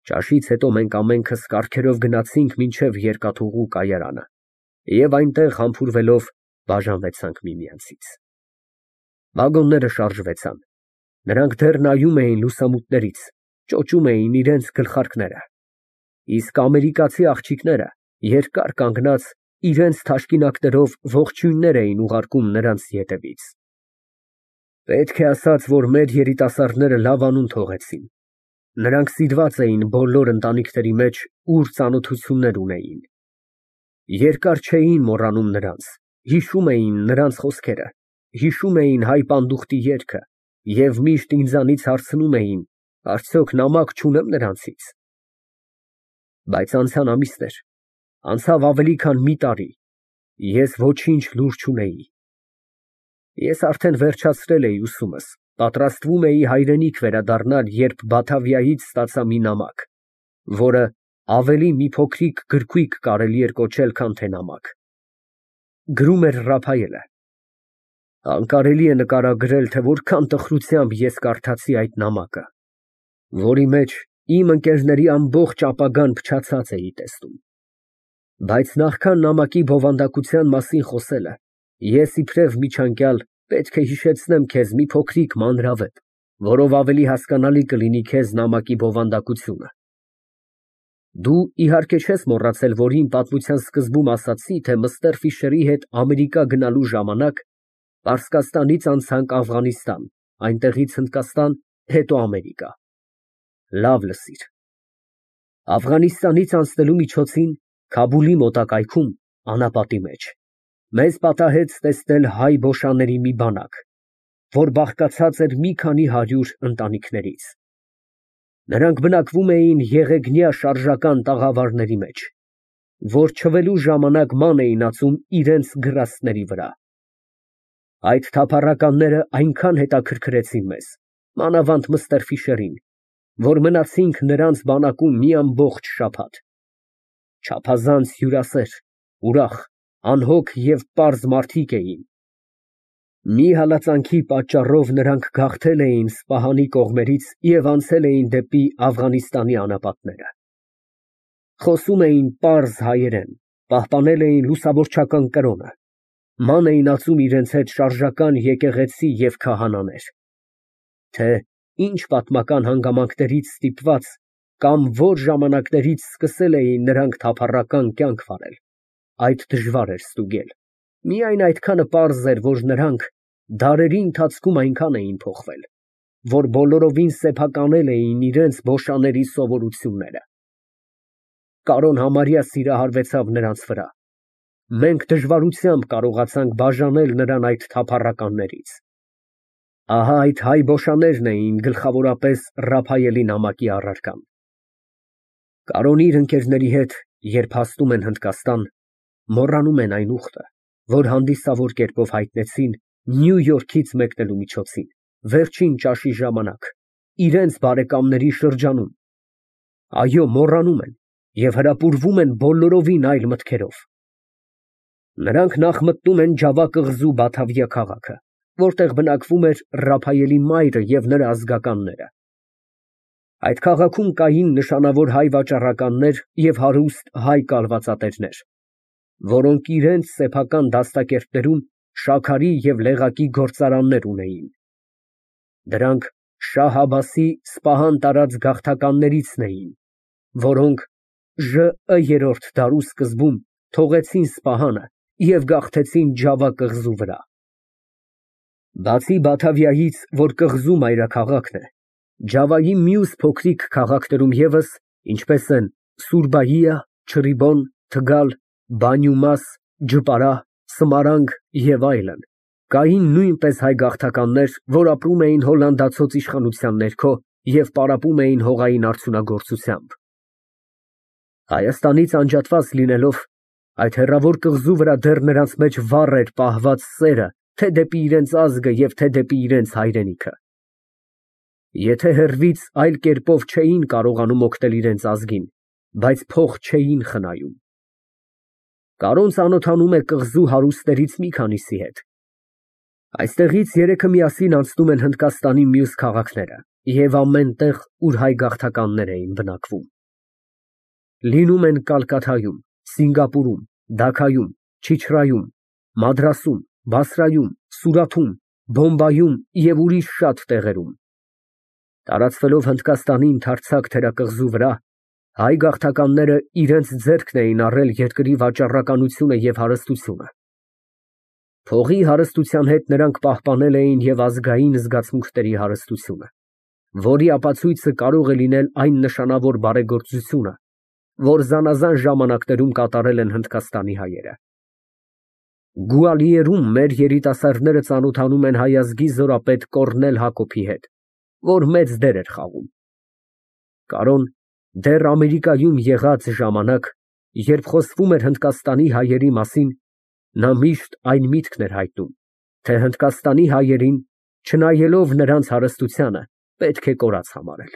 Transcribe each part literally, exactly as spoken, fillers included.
Ճաշից հետո մենք ամենքս կառքերով գնացինք մինչև երկաթուղու կայարանը և այնտեղ համբուրվելով բաժանվեցանք միմյանցից։ Վագոնները շարժվեցան, նրանք դեռ նայում էին լուսամուտներից, ճոճում էին իրենց գլխարկները, իսկ ամերիկացի աղջիկները երկար կանգնած իրենց թաշկինակներով ողջույններ էին ուղարկում նրանց ետևից։ Պետք է ասած, որ մեր երիտասարդները լավ անուն թողեցին, նրանք սիրված էին բոլոր ընտանիքների մեջ, ուր ծանոթություններ ունեին, երկար չէին մոռանում նրանց, հիշում էին նրանց խոսքերը, հիշում էին հայ պանդուխտի երգը և միշտ ինձանից հարցնում էին, արդյոք նամակ չունեմ նրանցից։ Բայց անցան ամիսներ, անցավ ավելի քան մի տարի, ես ոչինչ լուր չունեի։ Ես արդեն վերջացրել էի ուսումս, պատրաստվում էի հայրենիք վերադառնալ, երբ Բաթավիայից ստացա մի նամակ, որը ավելի մի փոքրիկ գրքույկ կարելի էր կոչել, քան թե նամակ։ Գրում էր Ռափայելը։ Անկարելի է նկարագրել, թե որքան տխրությամբ ես կարդացի այդ նամակը, որի մեջ իմ ընկերների ամբողջ ապագան փչացած էի տեսնում։ Բայց նախքան նամակի բովանդակության մասին խոսելը, ես իբրև միջանկյալ պետք է հիշեցնեմ քեզ մի փոքրիկ մանրավեպ, որով ավելի հասկանալի կլինի քեզ նամակի բովանդակությունը։ Դու իհարկե չես մոռացել, որ իմ պատմության սկզբում ասացի, թե Մըստեր Ֆիշերի հետ Ամերիկա գնալու ժամանակ Պարսկաստանից անցանք Աֆղանստան, այնտեղից Հնդկաստան, հետո Ամերիկա։ Լավ լսիր։ Աֆղանստանից անցնելու միջոցին Քաբուլի մոտակայքում, անապատի մեջ, մեզ պատահեց տեսնել հայ բոշաների մի բանակ, որ բաղկացած էր մի քանի հարյուր ընտանիքներից։ Նրանք բնակվում էին եղեգնյա շարժական տաղավարների մեջ, որ չվելու ժամանակ ման էին ածում իրենց գրաստների վրա։ Այդ թափառականները այնքան հետաքրքրեցին մեզ, մանավանդ Մըստեր Ֆիշերին, որ մնացինք նրանց բանակում մի ամբողջ շաբաթ։ Չափազանց հյուրասեր, ուրախ, անհոգ և պարզ մարդիկ էին։ Մի հալածանքի պատճառով նրանք գաղթել էին Սպահանի կողմերից և անցել էին դեպի Աֆղանստանի անապատները։ Խոսում էին պարզ հայերեն, պահպանել էին լուսավորչական կրոնը, ման էին ածում իրենց հետ շարժական եկեղեցի և քահանաներ։ Թե ինչ պատմական հանգամանքներից ստիպված կամ որ ժամանակներից սկսել էին նրանք թափառական կյանք վարել, այդ դժվար էր ստուգել, միայն այդքանը պարզ էր, որ նրանք դարերի ընթացքում այնքան էին փոխվել, որ բոլորովին սեփականել էին իրենց բոշաների սովորությունները։ Կարոն համարյա սիրահարվեցավ նրանց վրա։ Մենք դժվարությամբ կարողացանք բաժանել նրան այդ թափառականներից։ Ահա այդ հայ բոշաներն էին գլխավորապես Ռափայելի նամակի առարկան։ Կարոնն իր ընկերների հետ, երբ հասնում են Հնդկաստան, մոռանում են այն ուխտը, որ հանդիսավոր կերպով հայտնեցին Նյու Յորքից մեկնելու միջոցին, վերջին ճաշի ժամանակ, իրենց բարեկամների շրջանում։ Այո, մոռանում են և հրապուրվում են բոլորովին այլ մտքերով։ Նրանք նախ մտնում են Ջավա կղզու Բաթավիա քաղաքը, որտեղ բնակվում էր Ռափայելի մայրը և նրա ազգականները։ Այդ քաղաքում կային նշանավոր հայ վաճառականներ և հարուստ հայ կալվածատերեր, որոնք իրենց սեփական դաստակերտներում շաքարի և լեղակի գործարաններ ունեին։ Դրանք Շահ Աբասի Սպահան տարած գաղթականներիցն էին, որոնք Ժ. երրորդ դարու սկզբում թողեցին Սպահանը և գաղթեցին Ջավա կղզու վրա։ Բացի Բաթավիայից, որ կղզու մայրաքաղաքն է, Ջավայի մյուս փոքրիկ քաղաքներում ևս, ինչպես են Սուրբայիա, Չռիբոն, Թգալ, Բանյումաս, Ջպարահ, Սմարանգ և այլն, կային նույնպես հայ գաղթականներ, որ ապրում էին հոլանդացոց իշխանության ներքո և պարապում էին հողային արդյունագործությամբ։ Հայաստանից անջատված լինելով, այդ հեռավոր կղզու վրա դեռ նրանց մեջ վառ էր պահված սերը թե դեպի իրենց ազգը և թե դեպի իրենց հայրենիքը։ Եթե հեռվից այլ կերպով չէին կարողանում օգնել իրենց ազգին, բայց փող չէին խնայում։ Կարոն ծանոթանում է կղզու հարուստներից մի քանիսի հետ։ Այստեղից երեքը միասին անցնում են Հնդկաստանի մյուս քաղաքները և ամեն տեղ, ուր հայ գաղթականներ էին բնակվում։ լինում են Կալկաթայում, Սինգապուրում, Դաքայում, Չիչրայում, Մադրասում, Բասրայում, Սուրաթում, Բոմբայում և ուրիշ շատ տեղերում։ Տարածվելով Հնդկաստանի ընդարձակ թերակղզու վրա, հայ գաղթականները իրենց ձեռքն էին առել երկրի վաճառականությունը և հարստությունը։ Փողի հարստության հետ նրանք պահպանել էին և ազգային զգացմունքների հարստությունը, որի ապացույցը կարող է լինել այն նշանավոր բարեգործությունը, որ զանազան ժամանակներում կատարել են Հնդկաստանի հայերը։ Գուալիերում մեր երիտասարդները ծանոթանում են հայ ազգի զորապետ Կոռնել Հակոբի հետ, որ մեծ դեր էր խաղում։ Կարոն դեռ Ամերիկայում եղած ժամանակ, երբ խոսվում էր Հնդկաստանի հայերի մասին, նա միշտ այն միտքն էր հայտնում, թե Հնդկաստանի հայերին, չնայելով նրանց հարստությանը, պետք է կորած համարել։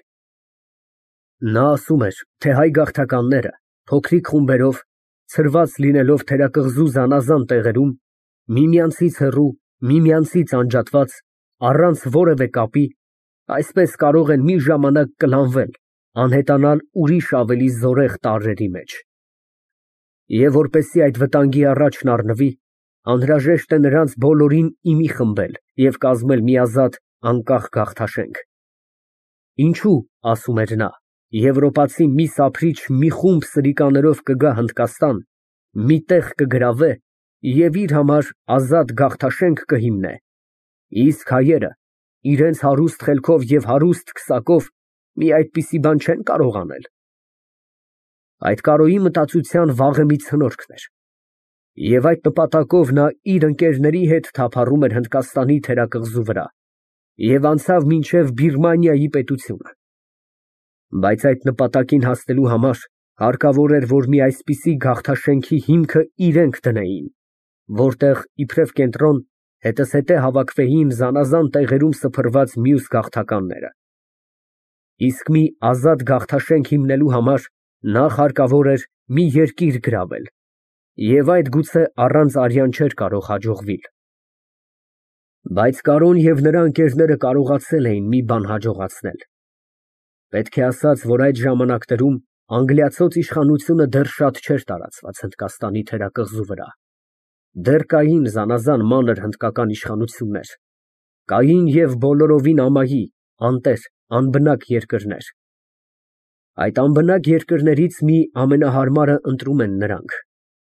Նա ասում էր, թե հայ գաղթականները, փոքրիկ խումբերով, ցրված լինելով թերակղզու զանազան տեղերում, միմյանցից հեռու, միմյանցից անջատված, առանց որևէ կապի, այսպես կարող են մի ժամանակ կլանվել, անհետանալ ուրիշ ավելի զորեղ տարրերի մեջ։ Եվ որպեսզի այդ վտանգի առաջն առնվի, անհրաժեշտ է նրանց բոլորին ի մի խմբել և կազմել մի ազատ, անկախ գաղթաշենք։ Ինչո՞ւ, ասում էր նա, եվրոպացի մի սափրիչ մի խումբ սրիկաներով կգա Հնդկաստան, մի տեղ կգրավե և իր համար ազատ գաղթաշենք կհիմնե, իսկ հայերը իրենց հարուստ խելքով և հարուստ քսակով մի այդպիսի բան չեն կարող անել։ Այդ Կարոյի մտածության վաղեմի ցնորքն էր, և այդ նպատակով նա իր ընկերների հետ թափառում էր Հնդկաստանի թերակղզու վրա և անցավ մինչև Բիրմանիայի պետությունը։ Բայց այդ նպատակին հասնելու համար հարկավոր էր, որ մի այսպիսի գաղթաշենքի հիմքը իրենք դնեին, որտեղ իբրև կենտրոն հետզհետե հավաքվեին զանազան տեղերում սփռված մյուս գաղթականները։ Իսկ մի ազատ գաղթաշենք հիմնելու համար նախ հարկավոր էր մի երկիր գրավել, և այդ գուցե առանց արյան չէր կարող հաջողվել։ Բայց Կարոն և նրա ընկերները կարողացել էին մի բան հաջողացնել։ Պետք է ասած, որ այդ ժամանակներում անգլիացոց իշխանությունը դեռ շատ չէր տարածված Հնդկաստանի թերակղզու վրա։ Դեռ կային զանազան մանր հնդկական իշխանություններ, կային և բոլորովին ամայի, անտեր, անբնակ երկրներ։ Այդ անբնակ երկրներից մի ամենահարմարը ընտրում են նրանք,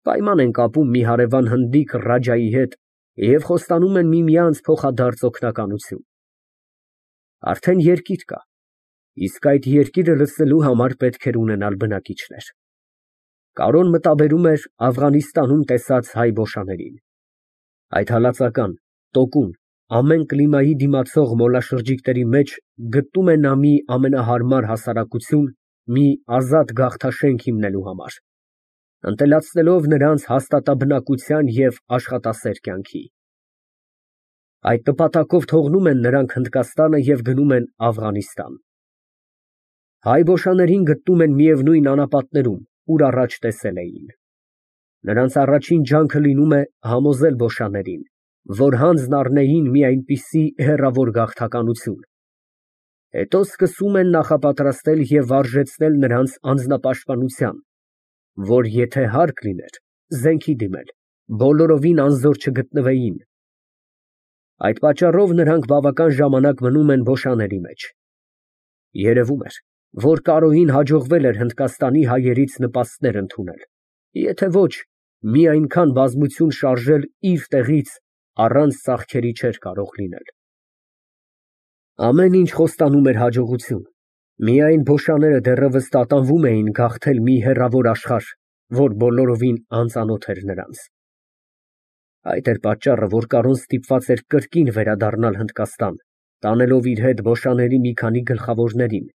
պայման են կապում մի հարևան հնդիկ ռաջայի հետ և խոստանում են միմյանց փոխադարձ օգնականություն։ Արդեն երկիր կա, իսկ այդ երկիրը լսելու համար պետք էր ունենալ բնակիչներ։ Կարոն մտաբերում էր Աֆղանիստանում տեսած հայ բոշաներին։ Այդ հալածական, տոկուն, ամեն կլիմայի դիմացող մոլաշրջիկների մեջ գտնում է նա մի ամենահարմար հասարակություն, մի ազատ գաղթաշենք հիմնելու համար, ընտելացնելով նրանց հաստատաբնակության և աշխատասեր կյանքի։ Այդ նպատակով թողնում են նրանք Հնդկաստանը և գնում են Աֆղանիստան։ Հայ բոշաներին գտնում են միևնույն անապատներում, ուր առաջ տեսել էին։ Նրանց առաջին ջանքը լինում է համոզել բոշաներին, որ հանձն առնեին մի այնպիսի հեռավոր գաղթականություն, հետո սկսում են նախապատրաստել և վարժեցնել նրանց անձնապաշտպանության, որ եթե հարկ լիներ, զենքի դիմել, բոլորովին անզոր չգտնվեին։ Այդ պատճառով նրանք բավական ժամանակ մնում են բոշաների մեջ։ Երևում էր, որ Կարոյին հաջողվել էր Հնդկաստանի հայերից նպաստներ ընդունել, եթե ոչ, մի այնքան բազմություն շարժել իր տեղից առանց ծախքերի չէր կարող լինել։ Ամեն ինչ խոստանում էր հաջողություն, միայն բոշաները դեռևս տատանվում էին գաղթել մի հեռավոր աշխարհ, որ բոլորովին անծանոթ էր նրանց։ Այդ էր պատճառը, որ Կարոն ստիպված էր կրկին վերադառնալ Հնդկաստան, տանելով իր հետ բոշաների մի քանի գլխավորներին,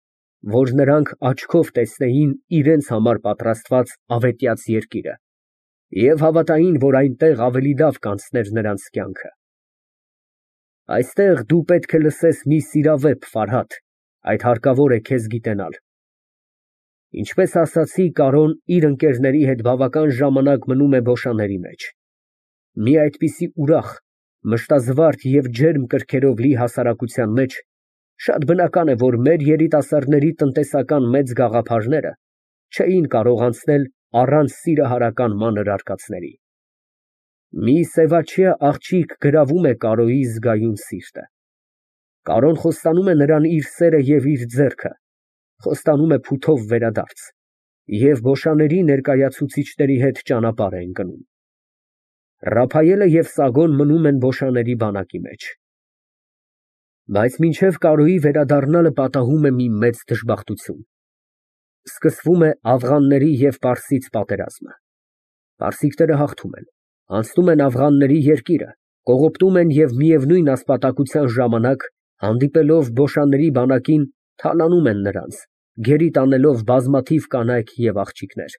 որ նրանք աչքով տեսնեին իրենց համար պատրաստված ավետյաց երկիրը և հավատային, որ այնտեղ ավելի լավ կանցներ նրանց կյանքը։ Այստեղ դու պետք է լսես մի սիրավեպ, Ֆարհադ, այդ հարկավոր է քեզ գիտենալ։ Ինչպես ասացի, Կարոն իր ընկերների հետ բավական ժամանակ մնում է բոշաների մեջ։ Մի այդպիսի ուրախ, մշտազվարթ և ջերմ կրքերով լի հասարակության մեջ շատ բնական է, որ մեր երիտասարդների տնտեսական մեծ գաղափարները չէին կարող անցնել առանց սիրահարական մանր արկածների։ Մի սևաչյա աղջիկ գրավում է Կարոյի զգայուն սիրտը։ Կարոն խոստանում է նրան իր սերը և իր ձեռքը, խոստանում է փութով վերադարձ և բոշաների ներկայացուցիչների հետ ճանապարհ է ընկնում։ Ռափայելը և Սագոն մնում են բոշաների բանակի մեջ։ Բայց մինչև Կարոյի վերադառնալը պատահում է մի մեծ դժբախտություն։ Սկսվում է աֆղանների և պարսից պատերազմը։ Պարսիկները հաղթում են, անցնում են աֆղանների երկիրը, կողոպտում են և միևնույն ասպատակության ժամանակ, հանդիպելով բոշաների բանակին, թալանում են նրանց, գերի տանելով բազմաթիվ կանայք և աղջիկներ,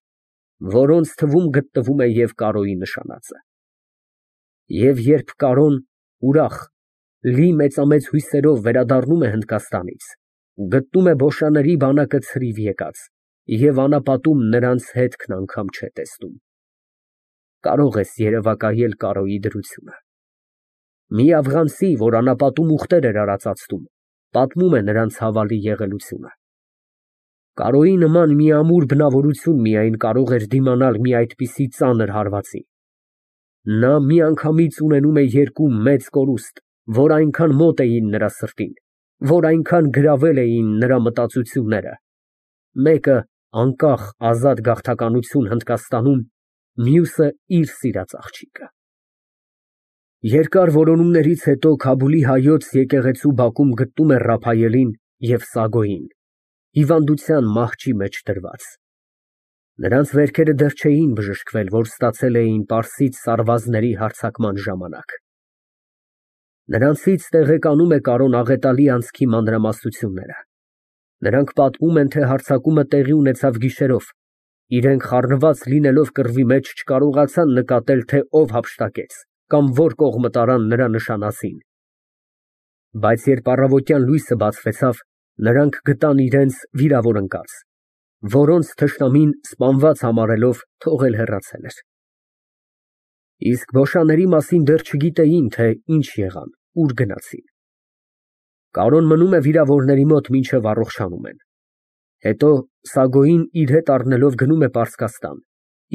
որոնց թվում գտնվում է և Կարոյի նշանածը։ Եվ երբ Կարոն ուրախ, լի մեծամեծ հույսերով վերադառնում է Հնդկաստանից, գտնում է բոշաների բանակը ցրիվ եկած և անապատում նրանց հետքն անգամ չէ տեսնում։ Կարո՞ղ ես երևակայել Կարոյի դրությունը։ Մի աֆղանցի, որ անապատում ուղտեր էր արածացնում, պատմում է նրանց ցավալի եղելությունը։ Կարոյի նման մի ամուր բնավորություն միայն կարող էր դիմանալ մի այդպիսի ծանր հարվածի։ Նա միանգամից ունենում է երկու մեծ կորուստ, որ այնքան մոտ էին նրա սրտին, որ այնքան գրավել էին նրա մտածությունները, մեկը անկախ ազատ գաղթականություն Հնդկաստանում, մյուսը իր սիրած աղջիկը։ Երկար որոնումներից հետո Քաբուլի հայոց եկեղեցու բակում գտնում է Ռափայելին և Սագոյին, հիվանդության մահճի մեջ դրված։ Նրանց վերքերը դեռ չէին բժշկվել, որ ստացել էին պարսից սարվածների հարձակման ժամանակ։ Նրանցից տեղեկանում է Կարոն աղետալի անցքի մանրամասնությունները։ Նրանք պատմում են, թե հարձակումը տեղի ունեցավ գիշերով, իրենք խառնված լինելով կռվի մեջ չկարողացան նկատել, թե ով հափշտակեց կամ որ կողմը տարան նրա նշանածին։ Բայց երբ առավոտյան լույսը բացվեցավ, նրանք գտան իրենց վիրավոր ընկած, որոնց թշնամին սպանված համարելով թողել հեռացել էր։ Իսկ բոշաների մասին դեռ չգիտեին, թե ինչ եղան, ուր գնացին։ Կարոն մնում է վիրավորների մոտ, մինչև առողջանում են։ Հետո Սագոյին իր հետ առնելով գնում է Պարսկաստան,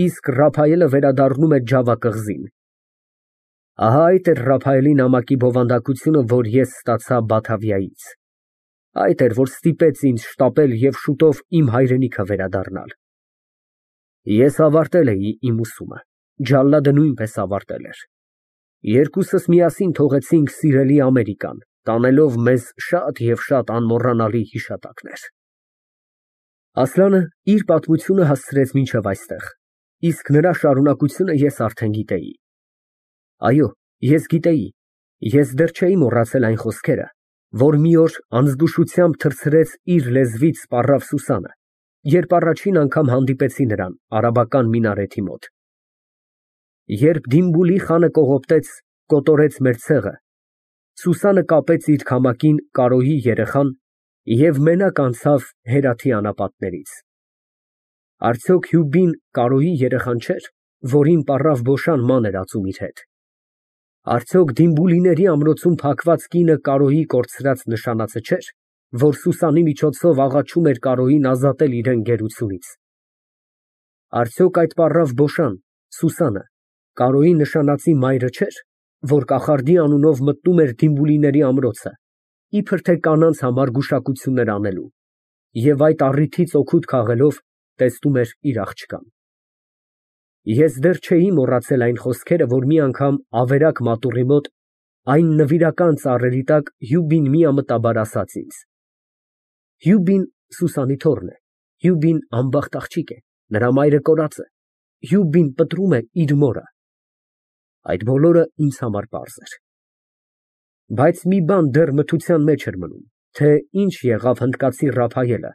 իսկ Ռափայելը վերադառնում է Ջավա կղզին։ Ահա այդ էր Ռափայելի նամակի բովանդակությունը, որ ես ստացա Բաթավիայից։ Այդ էր, որ ստիպեց ինձ շտապել և շուտով իմ հայրենիքը վերադառնալ։ Ես ավարտել էի իմ ուսումը, Ջալադը նույնպես ավարտել էր։ Երկուսս միասին թողեցինք սիրելի Ամերիկան, տանելով մեզ շատ և շատ անմոռանալի հիշատակներ։ Ասլանը իր պատմությունը հասցրեց մինչև այստեղ, իսկ նրա շարունակությունը ես արդեն գիտեի։ Այո, ես գիտեի, ես դեռ չէի մոռացել այն խոսքերը, որ մի օր անզգուշությամբ թռցրեց իր լեզվից սպառավ Սուսանը, երբ առաջին անգամ հանդիպեցի նրան արաբական մինարեթի մոտ։ Երբ Դիմբուլի խանը կողոպտեց, կոտորեց մեր ցեղը, Սուսանը կապեց իր քամակին Կարոյի երեխան և մենակ անցավ Հերաթի անապատներից։ Արդյոք Հյուբին Կարոյի երեխան չէր, որին պառավ բոշան ման էր ածում իր հետ։ Արդյոք Դիմբուլիների ամրոցում փակված կինը Կարոյի կորցրած նշանածը չէր, որ Սուսանի միջոցով աղաչում էր Կարոյին ազատել իրան գերությունից։ Արդյոք այդ պառավ բոշան, Սուսանը, Կարոյի նշանածի մայրը չէր, որ կախարդի անունով մտնում էր Դիմբուլիների ամրոցը, իբր թե կանանց համար գուշակություններ անելու, և այդ առիթից օգուտ քաղելով, տեսնում էր իր աղջկան։ Ես դեռ չէի մոռացել այն խոսքերը, որ մի անգամ ավերակ մատուռի մոտ, այն նվիրական ծառերի տակ Հյուբին միամտաբար ասաց ինձ. Հյուբին Սուսանի թոռն է, Հյուբին անբախտ աղջիկ է, նրա մայրը կորած է, Հյուբին պտռում է իր մորը։ Այդ բոլորը ինձ համար պարզ էր։ Բայց մի բան դեռ մթության մեջ էր մնում, թե ինչ եղավ հնդկացի Ռափայելը,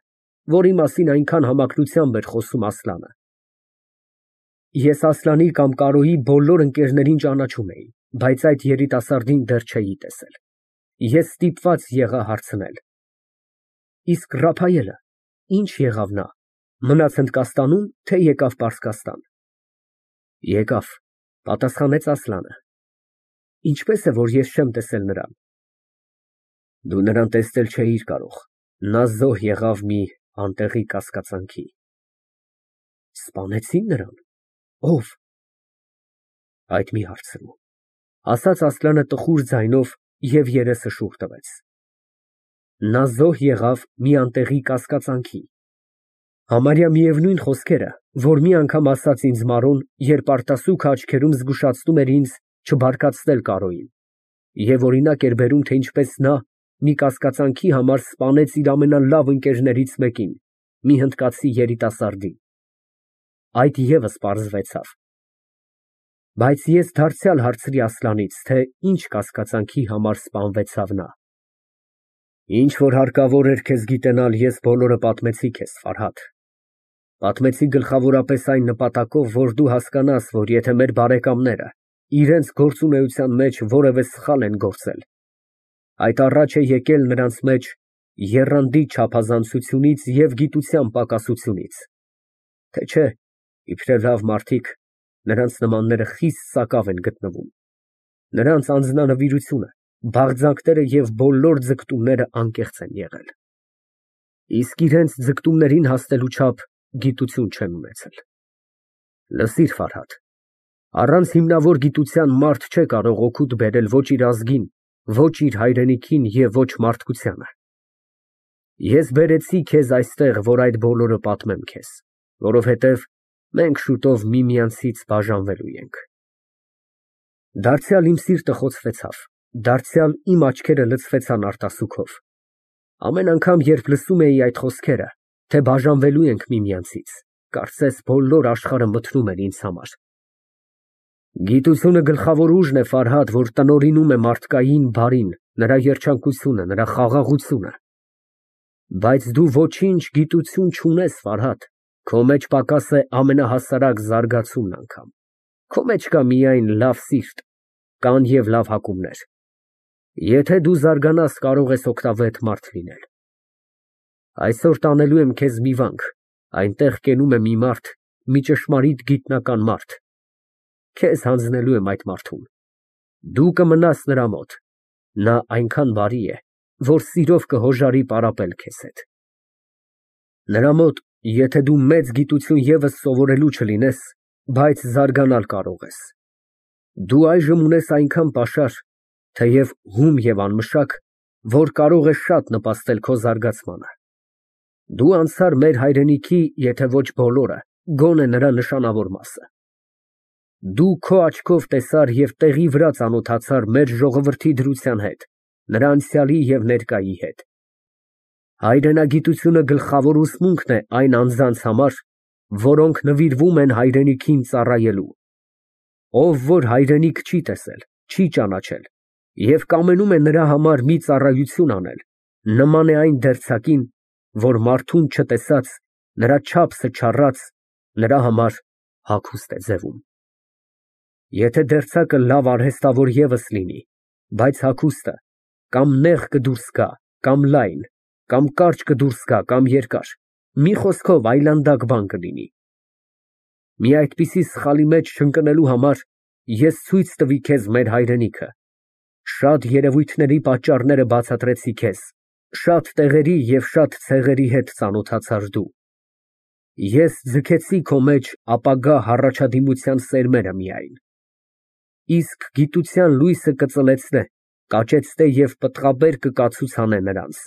որի մասին այնքան համակրությամբ էր խոսում Ասլանը։ Ես Ասլանի կամ Կարոյի բոլոր ընկերներին ճանաչում էի, բայց այդ երիտասարդին դեռ չէի տեսել։ Ես ստիպված եղա հարցնել. Իսկ Ռափայելը, ի՞նչ եղավ նա, մնաց Հնդկաստանու՞մ, թե եկավ Պարսկաստան։ Եկավ, պատասխանեց Ասլանը։ Ինչպե՞ս է, որ ես չեմ տեսել նրան։ Դու նրան տեսնել չէիր կարող, նա զոհ եղավ մի անտեղի կասկածանքի։ Սպանեցին նրան։ Ո՞վ։ Այդ մի հարցրու, ասաց Ասլանը տխուր ձայնով և երեսը շուռ տվեց։ Նա զոհ եղավ մի անտեղի կասկածանքի։ Համարյա միևնույն խոսքերը, որ մի անգամ ասաց ինձ Մարոն, երբ արտասուքը աչքերում զգուշացնում էր ինձ չբարկացնել Կարոյին, և օրինակ էր բերում, թե ինչպես նա մի կասկածանքի համար սպանեց իր ամենալավ ընկերներից մեկին, մի հնդկացի երիտասարդի։ Այդ ևս պարզվեցավ։ Բայց ես դարձյալ հարցրի Ասլանից, թե ինչ կասկածանքի համար սպանվեցավ նա։ Ինչ որ հարկավոր էր քեզ գիտենալ, ես բոլորը պատմեցի քեզ, Ֆարհադ։ Պատմեցի գլխավորապես այն նպատակով, որ դու հասկանաս, որ եթե մեր բարեկամները իրենց գործունեության մեջ որևէ սխալ են գործել, այդ առաջ է եկել նրանց մեջ եռանդի չափազանցությունից և գիտության պակասությունից, թե չէ, իբրև լավ մարդիկ, նրանց նմանները խիստ սակավ են գտնվում, նրանց անձնանվիրությունը, բաղձանքները և բոլոր ձգտումները անկեղծ են եղել, իսկ իրենց ձգտումներին հասնելու չափ գիտություն չեն ունեցել։ Լսիր, Ֆարհադ, առանց հիմնավոր գիտության մարդ չէ կարող օգուտ բերել ոչ իր ազգին, ոչ իր հայրենիքին և ոչ մարդկությանը։ Ես բերեցի քեզ այստեղ, որ այդ բոլորը պատմեմ քեզ, որովհետև մենք շուտով միմյանցից բաժանվելու ենք։ Դարձյալ իմ սիրտը խոցվեցավ, դարձյալ իմ աչքերը լցվեցան արտասուքով։ Ամեն անգամ, երբ լսում էի այդ խոսքերը, թե բաժանվելու ենք միմյանցից, կարծես բոլոր աշխարհը մթնում էր ինձ համար։ Գիտությունը գլխավոր ուժն է, Ֆարհադ, որ տնօրինում է մարդկային բարին, նրա երջանկությունը, նրա խաղաղությունը։ Բայց դու ոչինչ գիտություն չունես, Ֆարհադ, քո մեջ պակաս է ամենահասարակ զարգացումն անգամ, քո մեջ կա միայն լավ սիրտ, կան և լավ հակումներ։ Եթե դու զարգանաս, կարող ես օգտավետ մարդ լինել։ Այսօր տանելու եմ քեզ մի վանք, այնտեղ կենում է մի մարդ, մի ճշմարիտ գիտնական մարդ, քեզ հանձնելու եմ այդ մարդուն։ Դու կմնաս նրա մոտ, նա այնքան բարի է, որ սիրով կհոժարի պարապել քեզ հետ։ Նրա մոտ, եթե դու մեծ գիտություն ևս սովորելու չլինես, բայց զարգանալ կարող ես։ Դու այժմ ունես այնքան պաշար, թեև հում և անմշակ, որ կարող է շատ նպաստել քո զարգացմանը։ Դու անցար մեր հայրենիքի, եթե ոչ բոլորը, գոնե նրա նշանավոր մասը։ Դու քո աչքով տեսար և տեղի վրա ծանոթացար մեր ժողովրդի դրության հետ, նրա անցյալի և ներկայի հետ։ Հայրենագիտությունը գլխավոր ուսմունքն է այն անձանց համար, որոնք նվիրվում են հայրենիքին ծառայելու։ Ով որ հայրենիք չի տեսել, չի ճանաչել և կամենում է նրա համար մի ծառայություն անել, նման է այն դերձակին, որ մարդուն չտեսած, նրա չափսը չառած, նրա համար հագուստ է ձևում։ Եթե դերձակը լավ արհեստավոր ևս լինի, բայց հագուստը կամ նեղ կդուրս գա, կամ լայն, կամ կարճ կդուրս գա, կամ երկար, մի խոսքով այլանդակ բան կլինի։ Մի այդպիսի սխալի մեջ չընկնելու համար ես ցույց տվի քեզ մեր հայրենիքը, շատ երևույթների պատճառները բացատրեցի քեզ, շատ տեղերի և շատ ցեղերի հետ ծանոթացար դու։ Ես ձգեցի քո մեջ ապագա հառաջադիմության սերմերը միայն, իսկ գիտության լույսը կծլեցնե, կաճեցնե և պտղաբեր կկացուցանե նրանց։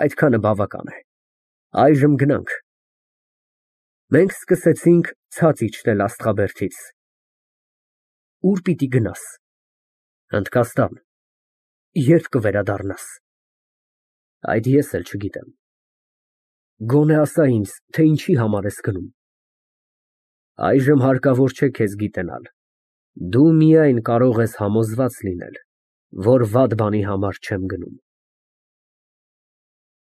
Այդքանը բավական է, այժմ գնանք։ Մենք սկսեցինք ցած իջնել աստղաբերդից։ Ո՞ւր պիտի գնաս։ Հնդկաստան։ Ե՞րբ կվերադառնաս։ Այդ ես էլ չգիտեմ։ Գոնե ասա ինձ, թե ինչի համար ես գնում։ Այժմ հարկավոր չէ քեզ գիտենալ, դու միայն կարող ես համոզված լինել, որ վատ բանի համար չեմ գնում։